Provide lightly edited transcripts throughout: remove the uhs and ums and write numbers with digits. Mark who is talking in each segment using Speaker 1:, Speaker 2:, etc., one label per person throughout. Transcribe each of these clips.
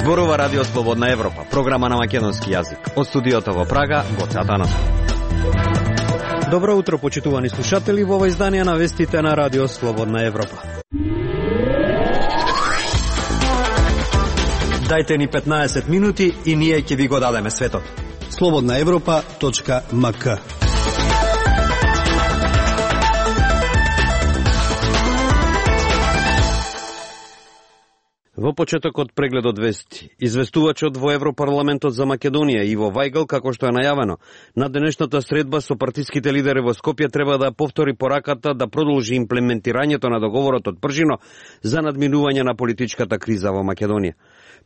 Speaker 1: Зборува Радио Слободна Европа, програма на македонски јазик. Од студиото во Прага, Гоце Атанасов. Добро утро, почитувани слушатели, во ова издание на вестите на Радио Слободна Европа. Дајте ни 15 минути и ние ќе ви го дадеме светот.
Speaker 2: slobodnaevropa.mk.
Speaker 1: Во почетокот прегледот вести, известувачот во Европарламентот за Македонија Иво Вајгл, како што е најавено, на денешната средба со партиските лидери во Скопје треба да повтори пораката да продолжи имплементирањето на договорот од Пржино за надминување на политичката криза во Македонија.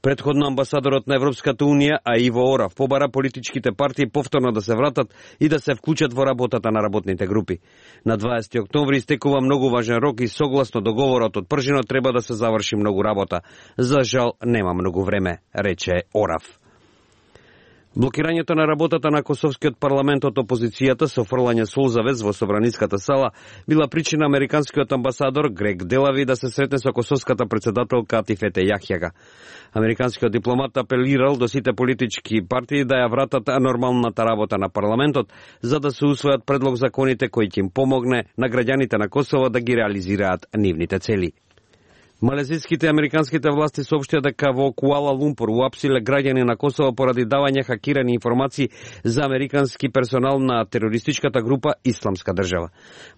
Speaker 1: Претходно амбасадорот на Европската Унија, а Иво Орав, побара политичките партии повторно да се вратат и да се вклучат во работата на работните групи. На 20 октомври истекува многу важен рок и согласно договорот од Пржино треба да се заврши многу работа. За жал, нема многу време, рече Орав. Блокирањето на работата на Косовскиот парламент од опозицијата со фрлање солзавез во Собраниската сала била причина американскиот амбасадор Грег Делави да се сретне со косовската председателка Атифете Јахјага. Американскиот дипломат апелирал до сите политички партии да ја вратат нормалната работа на парламентот, за да се усвојат предлог законите кои ќе им помогне на граѓаните на Косово да ги реализираат нивните цели. Малезиските и американските власти соопштија дека во Куала Лумпур уапсиле граѓани на Косово поради давање хакирани информации за американски персонал на терористичката група Исламска држава.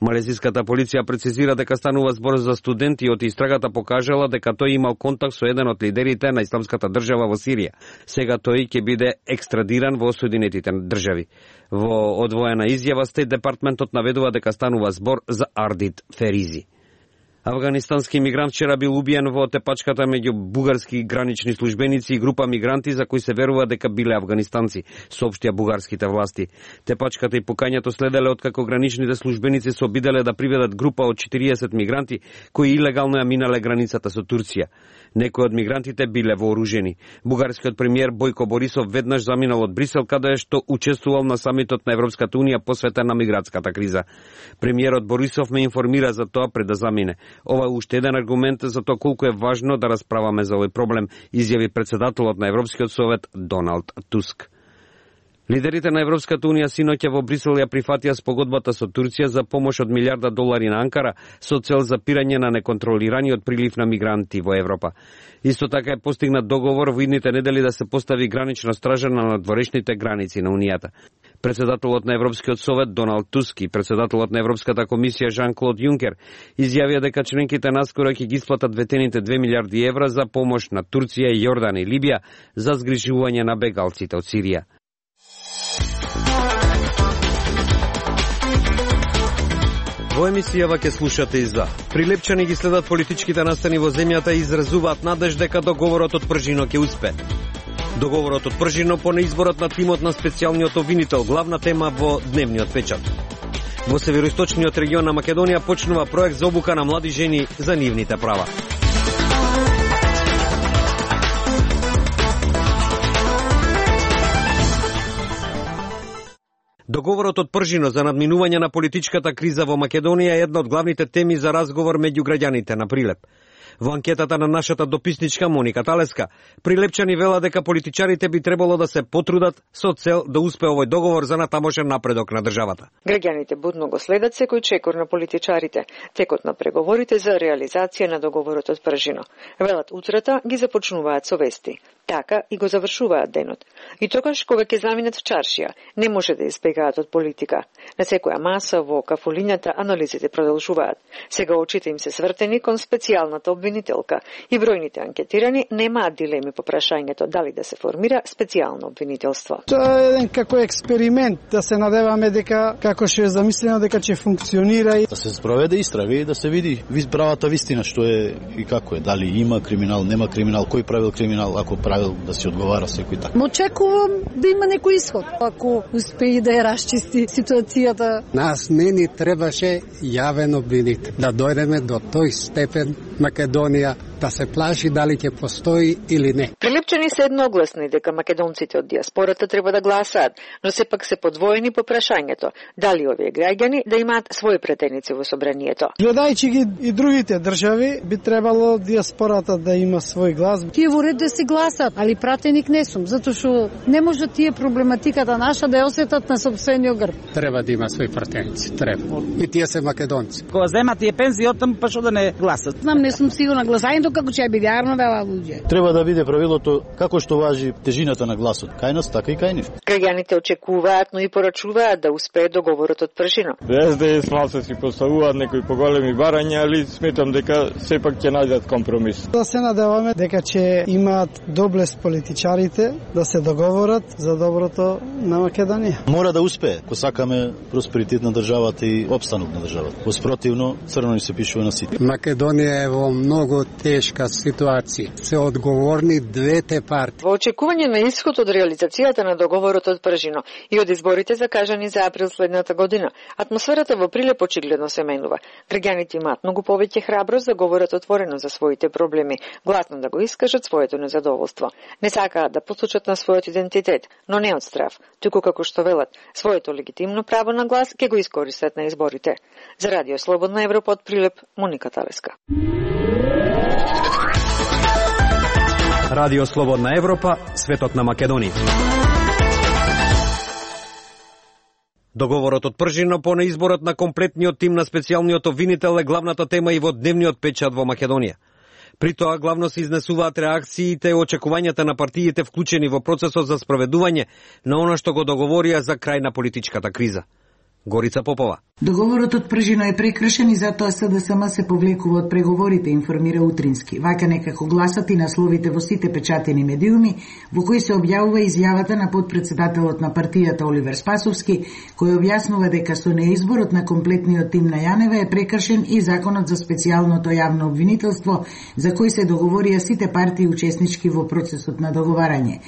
Speaker 1: Малезиската полиција прецизира дека станува збор за студенти и од истрагата покажала дека тој имал контакт со еден од лидерите на Исламската држава во Сирија. Сега тој ќе биде екстрадиран во Соединетите држави. Во одвоена изјава Стейт департментот наведува дека станува збор за Ардит Феризи. Афганистански мигрант вчера бил убиен во тепачката меѓу бугарски гранични службеници и група мигранти за кои се верува дека биле афганистанци, соопштија бугарските власти. Тепачката и пукањето следеле откако граничните службеници се обиделе да приведат група од 40 мигранти кои илегално ја минале границата со Турција. Некои од мигрантите биле вооружени. Бугарскиот премиер Бојко Борисов веднаш заминал од Брисел, каде што учествувал на самитот на Европската Унија посветен на мигратската криза. Премиерот Борисов ме информира за тоа пред да замине. Ова е уште еден аргумент за тоа колку е важно да расправаме за овој проблем, изјави председателот на Европскиот совет Доналд Туск. Лидерите на Европската Унија синоќа во Брисел ја прифатија спогодбата со Турција за помош од $1.000.000 на Анкара со цел запирање на неконтролираниот прилив на мигранти во Европа. Исто така е постигнат договор во идните недели да се постави гранична стража на надворешните граници на Унијата. Председателот на Европскиот совет Доналд Туск и председателот на Европската комисија Жан-Клод Јункер изјавија дека членките наскоро ќе ги исплатат ветените €2 милиарди за помош на Турција, Јордан и Либија за згрижување на бегалците од Сирија. Во емисијава ќе слушате и за. Прилепчани ги следат политичките настани во земјата и изразуваат надеж дека договорот од Пржино ќе успее. Договорот од Пржино по неизборот на тимот на специјалниот обвинител, главна тема во дневниот печат. Во североисточниот регион на Македонија почнува проект за обука на млади жени за нивните права. Договорот од Пржино за надминување на политичката криза во Македонија е една од главните теми за разговор меѓу граѓаните на Прилеп. Во анкетата на нашата дописничка Моника Талеска, прилепчани велат дека политичарите би требало да се потрудат со цел да успее овој договор за натамошен напредок на државата.
Speaker 3: Граѓаните будно го следат секој чекор на политичарите, текот на преговорите за реализација на договорот од Пржино. Велат утрата ги започнуваат со вести. Така и го завршуваат денот. И тогаш кога ќе заминат в чаршија, не може да избегаат од политика. На секоја маса во кафулињата анализите продолжуваат. Сега очите им се свртени кон специјалната обвинителка и бројните анкетирани немаат дилеми по прашањето дали да се формира специјално обвинителство.
Speaker 2: Тоа е еден како експеримент, да се надеваме дека како што е замислено дека ќе функционира и
Speaker 4: да се спроведе истрага и да се види правата вистина што е и како е, дали има криминал, нема криминал, кој правил криминал, ако правил да се одговара секој така.
Speaker 5: Очекувам да има некој исход, ако успее да ја расчисти ситуацијата.
Speaker 6: Нас не ни требаше јавен обвинител, да дојдеме до тој степен Македонија да се плаши дали ќе постои или не.
Speaker 3: Прилепчени се едногласни дека македонците од диаспората треба да гласаат, но сепак се подвоени по прашањето дали овие граѓани да имаат своји претеници во собранието.
Speaker 2: Гледајќи ги и другите држави, би требало диаспората да има свој глас.
Speaker 5: Тие во ред да се гласат, али пратеник не сум, затоа што не може тие проблематиката наша да ја осетат на сопствениот грб.
Speaker 6: Треба да има своји пратеници, треба. И тие се македонци.
Speaker 7: Кога земат тие пензии оттам, па што да не гласат?
Speaker 5: Знам, не сум сигурна гласањето како ќе биде јавно вела луѓе.
Speaker 4: Треба да биде правилото како што важи тежината на гласот. Кај нас така и кај нив.
Speaker 3: Граѓаните очекуваат, но и порачуваат да успее договорот од Пржино.
Speaker 8: СДС малце си поставуваат некои поголеми барања, али сметам дека сепак ќе најдат компромис.
Speaker 2: Да се надеваме дека ќе имаат доблест политичарите да се договорат за доброто на Македонија.
Speaker 4: Мора да успее, ако сакаме просперитет на државата и опстанок на државата. Воспротивно, црно ни се пишува на сите.
Speaker 6: Македонија е во многу тешка ситуација. Се одговорни двете партии.
Speaker 3: Во очекување на исход од реализацијата на договорот од Пржино и од изборите закажани за април следната година, атмосферата во Прилеп очигледно се менува. Граѓаните имаат многу повеќе храброст да говорат отворено за своите проблеми, гласно да го искажат своето незадоволство. Не сакаат да посочат на својот идентитет, но не од страв, туку како што велат, своето легитимно право на глас ќе го искористат на изборите. За Радио Слободна Европа од Прилеп, Моника Талеска.
Speaker 1: Радио Слободна Европа, светот на Македонија. Договорот од Пржино по неизборот на комплетниот тим на специјалниот обвинител е главната тема и во дневниот печат во Македонија. При тоа главно се изнесуваат реакциите и очекувањата на партиите вклучени во процесот за спроведување на она што го договорија за крај на политичката криза. Горица Попова.
Speaker 9: Договорот од Пржино е прекршен и затоа СДСМ се повлекува од преговорите, информира Утрински. Вака некако гласат и насловите во сите печатени медиуми, во кои се објавува изјавата на подпредседателот на партијата Оливер Спасовски, кој објаснува дека со неизборот на комплетниот тим на Јанева е прекршен и законот за специјалното јавно обвинителство, за кој се договорија сите партии учеснички во процесот на договарање.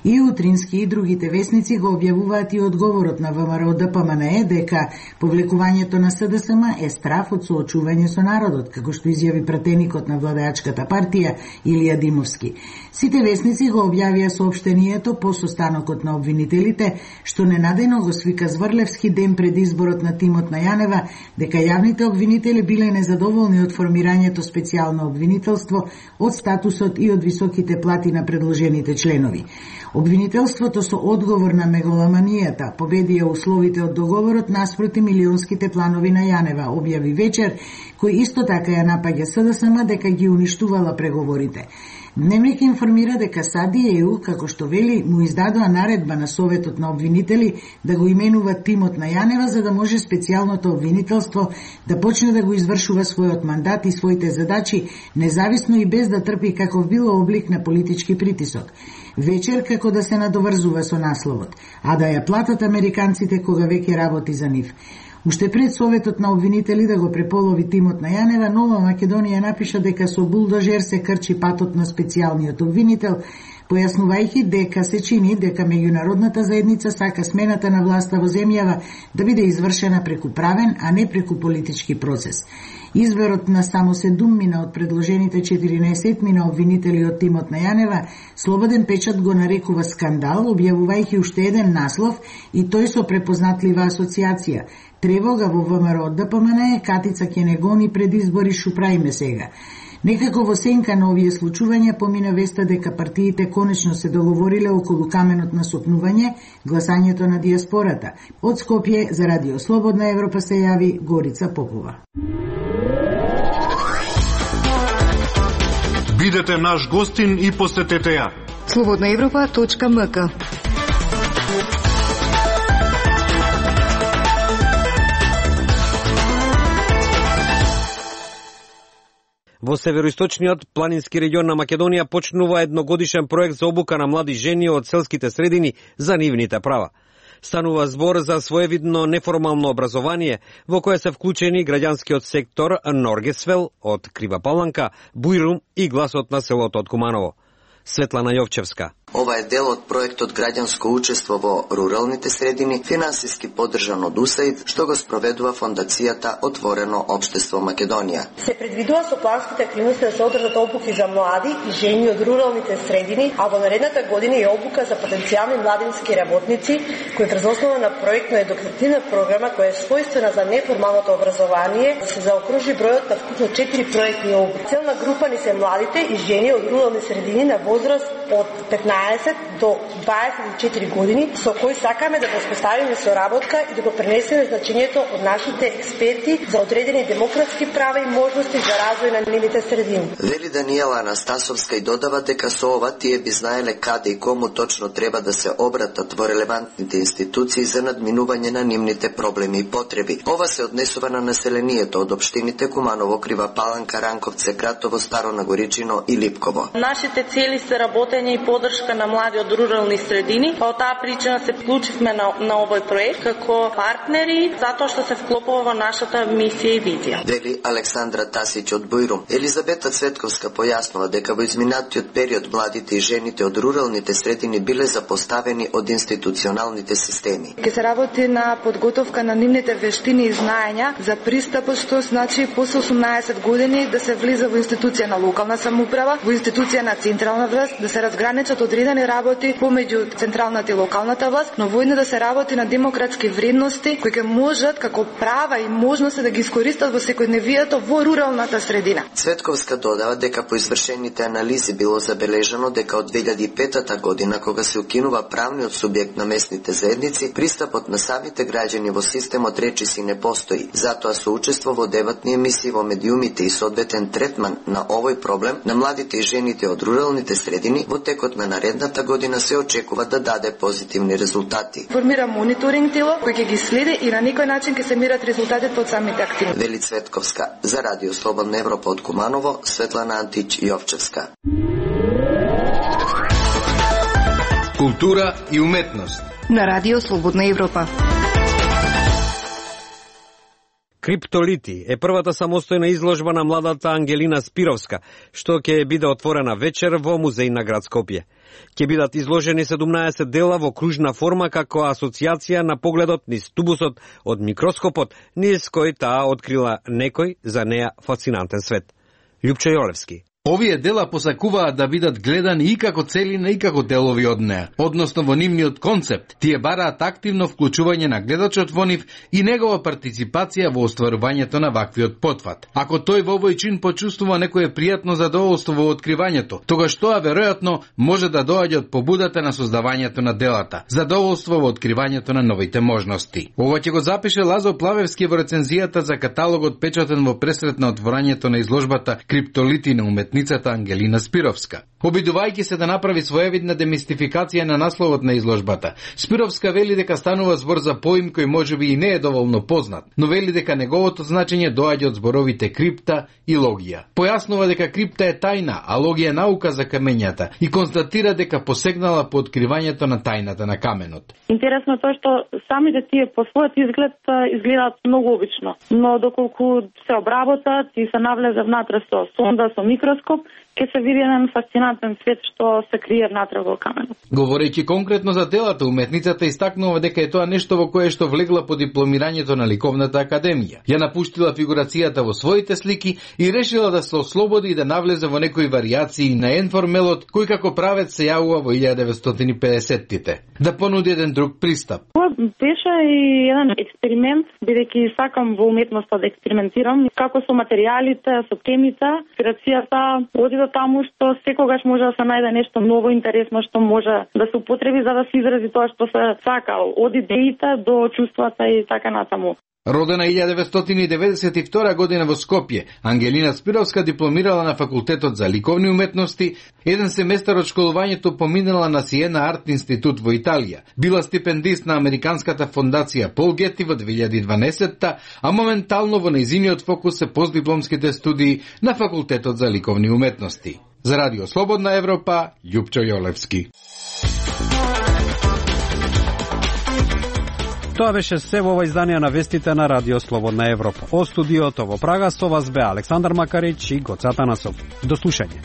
Speaker 9: И Утрински и другите весници го објавуваат и одговорот на ВМРО ДПМНЕ дека повлекувањето на СДСМ е страф од соочување со народот, како што изјави пратеникот на владеачката партија Илија Димовски. Сите весници го објавија соопштението по состанокот на обвинителите, што ненадејно го свика Зврлевски ден пред изборот на тимот на Јанева, дека јавните обвинители биле незадоволни од формирањето специјално обвинителство, од статусот и од високите плати на предложените членови. Обвинителството со одговор на мегаломанијата победија условите од договорот наспроти милионските планови на Јанева, објави вечер, кој исто така ја напаѓа СДСМ дека ги уништувала преговорите. Дневник информира дека САД и ЕУ, како што вели, му издадоа наредба на Советот на обвинители да го именува тимот на Јанева за да може специјалното обвинителство да почне да го извршува својот мандат и своите задачи, независно и без да трпи каков било облик на политички притисок. Вечер како да се надоврзува со насловот, а да ја платат американците кога веќе работи за нив. Уште пред Советот на обвинители да го преполови тимот на Јанева, Нова Македонија напиша дека со булдожер се крчи патот на специјалниот обвинител, појаснувајќи дека се чини дека меѓународната заедница сака смената на власта во земјава да биде извршена преку правен, а не преку политички процес. Изборот на само 7 од предложените 14 на обвинители од тимот на Јанева, Слободен печат го нарекува скандал, објавувајќи уште еден наслов и тој со препознатлива асоциација. Тревога во ВМРО ДПМН, Катица ќе не гони пред избори, шо правиме сега. Некако во сенка на овие случувања помина веста дека партиите конечно се договориле околу каменот на сопнување, гласањето на диаспората. Од Скопје за Радио Слободна Европа се јави Горица Попова.
Speaker 10: Бидете наш гостин и посетете ја.
Speaker 11: slobodnaevropa.mk.
Speaker 1: Во североисточниот планински регион на Македонија почнува едногодишен проект за обука на млади жени од селските средини за нивните права. Станува збор за своевидно неформално образование во кое се вклучени граѓанскиот сектор Норгесвел од Крива Паланка, Бујрум и гласот на селото од Куманово. Светлана Јовчевска.
Speaker 12: Ова е дел од проектот Граѓанско учество во руралните средини, финансиски поддржан од УСАИД, што го спроведува фондацијата Отворено општество Македонија.
Speaker 13: Се предвидува со планските активности да се одржат обуки за млади и жени од руралните средини, а во наредната година и обука за потенцијални младински работници, кои врз основа на проектно едукативна програма која е својствена за неформалното образование, да се заокружи бројот на вкупно 4 проектни обуки. Целна група ни се младите и жени од рурални средини на возраст од 15 до 24 години, со кои сакаме да воспоставиме соработка и да го пренесеме значењето од нашите експерти за одредени демократски права и можности за развој на нивните средини.
Speaker 12: Вели Даниела Анастасовска и додава дека со ова тие би знаеле каде и кому точно треба да се обратат во релевантните институции за надминување на нивните проблеми и потреби. Ова се однесува на населението од општините Куманово, Крива Паланка, Ранковце, Гратово, Старо Нагоричино и Липково.
Speaker 14: Нашите цели се работење и поддршка на млади од рурални средини. По таа причина се вклучивме на овој проект како партнери, затоа што се вклопува во нашата мисија и визија.
Speaker 12: Вели Александра Тасиќ од Бујрум. Елизабета Цветковска појаснува дека во изминатиот период младите и жените од руралните средини биле запоставени од институционалните системи.
Speaker 15: Ке се работи на подготовка на нивните вештини и знаења за пристапот, што значи после 18 години да се влиза во институција на локална самоуправа, во институција на централна власт, да се разграничат одредени работи помеѓу централната и локалната власт, но воедно да се работи на демократски вредности кои ќе можат како права и можности да ги искористат во секојдневието во руралната средина.
Speaker 12: Цветковска додава дека по извршените анализи било забележано дека од 2005 година, кога се укинува правниот субјект на местните заедници, пристапот на самите граѓани во системот речиси не постои. Затоа со учество во дебатни емисии во медиумите и соодветен третман на овој проблем на младите и жените од руралните средини во текот на наредната година се очекува да даде позитивни резултати.
Speaker 15: Формира мониторинг тело кој ќе ги следи и на некој начин ќе се мерат резултатите од самите активности.
Speaker 12: Вели Цветковска. За Радио Слободна Европа од Куманово, Светлана Антич Јовчевска.
Speaker 16: Култура и уметност
Speaker 11: на Радио Слободна Европа.
Speaker 1: Криптолити е првата самостојна изложба на младата Ангелина Спировска, што ќе биде отворена вечер во музеј на град Скопје. Ќе бидат изложени 17 дела во кружна форма како асоциација на погледот низ тубусот од микроскопот, низ кој таа открила некој за неа фасцинантен свет. Љупчо Јолевски.
Speaker 16: Овие дела посакуваат да бидат гледани и како целина и како делови од неа, односно во нивниот концепт. Тие бараат активно вклучување на гледачот во нив и негова партиципација во остварувањето на ваквиот потфат. Ако тој во овој чин почувствува некое пријатно задоволство во откривањето, тогаш тоа веројатно може да доаѓа од побудата на создавањето на делата, задоволство во откривањето на новите можности. Ова ќе го запише Лазо Плавевски во рецензијата за каталогот печатен во пресрет на отворањето на изложбата Криптолити на уметницата Ангелина Спировска. Обидувајќи се да направи своевидна демистификација на насловот на изложбата, Спировска вели дека станува збор за поим кој можеби и не е доволно познат, но вели дека неговото значење доаѓа од зборовите крипта и логија. Појаснува дека крипта е тајна, а логија наука за камењата и констатира дека посегнала по откривањето на тајната на каменот.
Speaker 14: Интересно тоа што самите тие по својот изглед изгледаат многу обично, но доколку се обработат и се навлезе внатре со сонда, со микроскоп, ќе се види еден фасцинантен свет што се крие внатре во каменот.
Speaker 16: Говорејќи конкретно за делата, уметницата истакнува дека е тоа нешто во кое што влегла по дипломирањето на Ликовната академија. Ја напуштила фигурацијата во своите слики и решила да се ослободи и да навлезе во некои варијации на енформелот кој како правец се јавува во 1950-тите. Да понуди еден друг пристап.
Speaker 14: Тоа беше и еден експеримент, бидејќи сакам во уметноста да експериментирам, како со материјалите, со темите, инспирацијата оди до таму што секогаш може да се најде нешто ново интересно што може да се употреби за да се изрази тоа што се сака, од идеите до чувствата и така натаму.
Speaker 16: Родена 1992 година во Скопје, Ангелина Спировска дипломирала на факултетот за ликовни уметности, еден семестар од школувањето поминала на Сиена Арт институт во Италија. Била стипендист на Американската фондација Пол Гети во 2012-та, а моментално во нејзиниот фокус се постдипломските студии на факултетот за ликовни уметности. За Радио Слободна Европа, Љупчо Јолевски.
Speaker 17: Тоа беше се во ова издание на вестите на Радио Слободна Европа. Од студиото во Прага со вас бе Александар Макарич и Гоца Танасов. До слушање.